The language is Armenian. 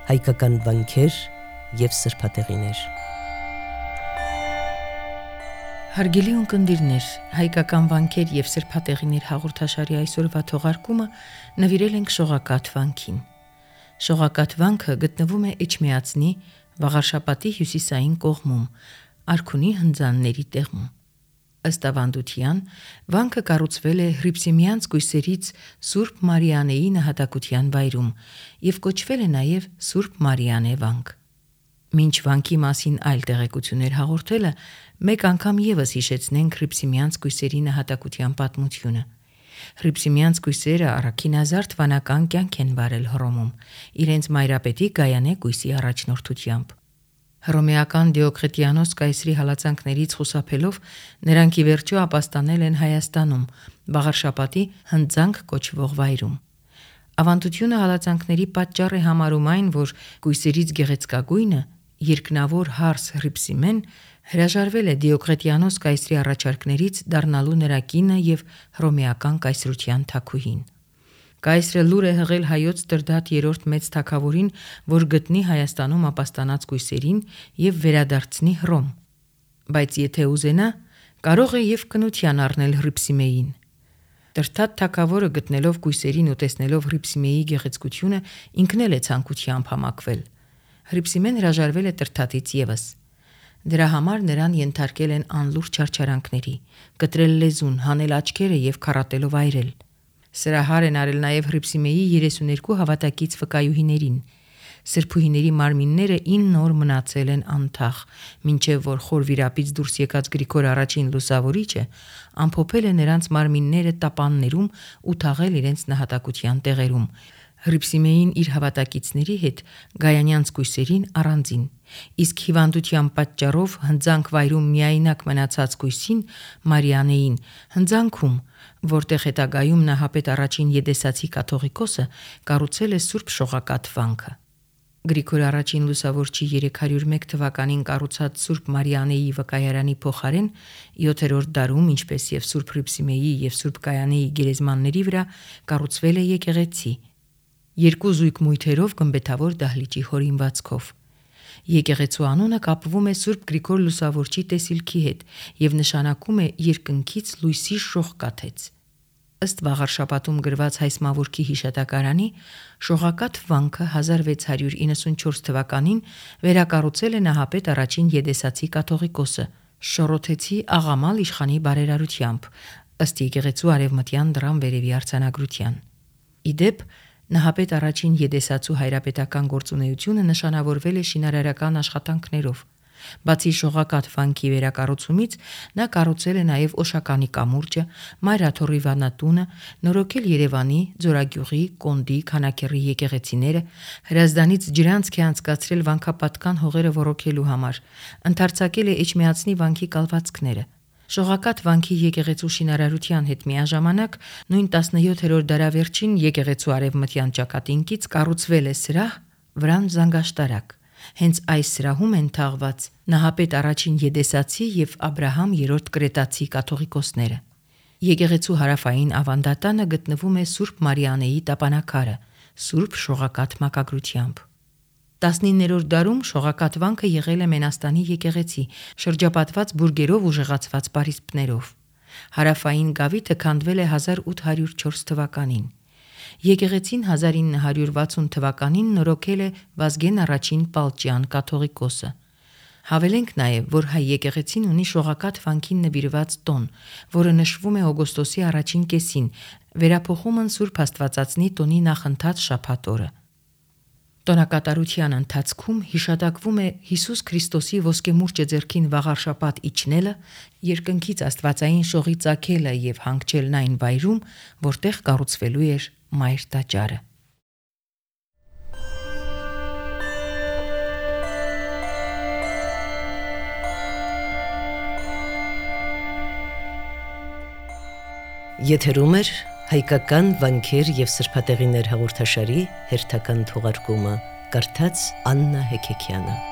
հայկական վանքեր և սրբատեղիներ։ Հարգելի ունկնդիրներ, հայկական վանքեր և սրբատեղիներ հաղորդաշարի այսօրվա թողարկումը նվիրել ենք Շողակաթ վանքին։ Շողակաթ վանքը գտնվում է Էջմիածնի Վաղարշապատի հյուսիսային կողմում, Արքունի հնձանների տեղում։ Ըստ ավանդության, վանքը կառուցվել է Հռիփսիմեանց կույսերից Սուրբ Մարիանեի նահատակության վայրում և կոչվել է նաև Սուրբ Մարիանե վանք։ Մինչ վանքի մասին այլ տեղեկություններ հաղորդելը, մեկ անգամ ևս հիշեցնենք Հռիփսիմեանց կույսերի նահատակության պատմությունը։ Հռիփսիմեանց կույսերը առաքինազարդ վանական կյանք են վարել Հռոմում, իրենց մայրապետի Գայանե կույսի առաջնորդությամբ։ Հռոմեական Դիոկլետիանոս կայսրի հալածանքներից խուսափելով նրանք ի վերջո ապաստանել են Հայաստանում, Վաղարշապատի հնձանք կոչվող վայրում։ Ավանդությունը հալածանքների պատճառ է համարում այն, որ կույսերից գեղեցկագույնը, երկնավոր հարս Հռիփսիմեն հրաժարվել է Դիոկլետիանոս կայսրի առաջարկներից դառնալու նրա կինը և հռոմեական կայսրության թագուհին։ Կայսրը լուր է հղել հայոց Տրդատ III մեծ թագավորին, որ գտնի Հայաստանում ապաստանած կույսերին և վերադարձնի Հռոմ, բայց եթե ուզենա, կարող է և կնության առնել Հռիփսիմեին։ Տրդատ թագավորը գտնելով կույսերին ու տեսնելով Հռիփսիմեի գեղեցկությունը, ինքն էլ է ցանկությամբ համակվել։ Հռիփսիմեն հրաժարվել է Տրդատից ևս։ Դրա համար նրան ենթարկել են անլուրջ չարչարանքների, կտրել լեզուն, հանել աչքերը և քառատելով այրել։ Սրահար են արել նաև Հռիփսիմեի 32 հավատակից վկայուհիներին։ Սրբուհիների մարմինները 9 օր մնացել են անթաղ, մինչև որ խոր վիրապից դուրս եկած Գրիգոր I Լուսավորիչը ամփոփել է նրանց մարմինները տապաններում ու թաղել իրենց նահատակության տեղերում։ Հռիփսիմեին իր հավատակիցների հետ Գայանյանց կույսերին առանձին, իսկ հիվանդության պատճառով հնձանք վայրում միայնակ մնացած կույսին Մարիանեին հնձանքում, որտեղ հետագայում նահապետ առաջին Եդեսացի կաթողիկոսը կառուցել է Սուրբ Շողակաթ վանքը։ Գրիգոր I Լուսավորչի 301 թվականին կառուցած Սուրբ Մարիանեի վկայարանի փոխարեն 7-րդ դարում, ինչպես և Սուրբ Հռիփսիմեի և Սուրբ Գայանեի գերեզմանների վրա կառուցվել է եկեղեցի, երկու զույգ մույթերով գմբեթավոր դահլիճի հորինվածքով։ Եկեղեցու անունը կապվում է Սուրբ Գրիգոր Լուսավորչի տեսիլքի հետ և նշանակում է երկնքից լույսի շող կաթեց։ Ըստ Վաղարշապատում գրված հայսմավորքի հիշատակարանի, Շողակաթ վանքը 1694 թվականին վերակառուցել է նահապետ առաջին Եդեսացի կաթողիկոսը Շորոթեցի աղամալ իշխանի բարերարությամբ, ըստ եկեղեցու արևմտյան դռան վերևի արձանագրության։ Ի դեպ, նահապետ առաջին Եդեսացու հայրապետական գործունեությունը նշանավորվել է շինարարական աշխատանքներով։ Բացի Շողակաթ վանքի վերակառուցումից, նա կառուցել է նաև Օշականի կամուրջը, Մայրաթոռի վանատունը, նորոգել Երևանի, Ձորագյուղի, Կոնդի, Քանաքեռի եկեղեցիները, Հրազդանից ջրանցք է անցկացրել վանքապատկան հողերը ոռոգելու համար, ընդարձակել է Էջմիածնի վանքի կալվածքները։ Շողակաթ վանքի եկեղեցու շինարարության հետ միաժամանակ նույն 17-րդ դարավերջին եկեղեցու արևմտյան ճակատինկից կառուցվել է սրահ, վրան զանգաշտարակ։ Հենց այս սրահում են թաղված նահապետ առաջին Եդեսացի և Աբրահամ III Կրետացի կաթողիկոսները։ Եկեղեցու հարավային ավանդատանը գտնվում է Սուրբ Մարիանեի տապանակարը, Սուրբ Շողակաթ մակագրությամբ։ 19-րդ դարում Շողակաթ վանքը եղել է Մենաստանի եկեղեցի, շրջապատված բուրգերով ուժեղացված պարիսպներով։ Հարավային գավիթը քանդվել է 1804 թվականին։ Եկեղեցին 1960 թվականին նորոգել է Վազգեն I Պալճյան կաթողիկոսը։ Հավելենք նաև, որ հայ եկեղեցին ունի Շողակաթ վանքին նվիրված տոն, որը նշվում է օգոստոսի առաջին կեսին, վերափոխումն Սուրբ Աստվածածնի տոնի նախընթաց շաբաթ օրը։ Տոնակատարության ընթացքում հիշատակվում է Հիսուս Քրիստոսի ոսկեմուրջը ձեռքին Վաղարշապատ իջնելը, երկնքից Աստվածային շողի ծագելը և հանգչելն այն վայրում, որտեղ կառուցվելու էր Մայր տաճարը։ Եթերում է հայկական վանքեր և սրբատեղիներ հաղորդաշարի հերթական թողարկումը, կարդաց Աննա Հեքեքյանը։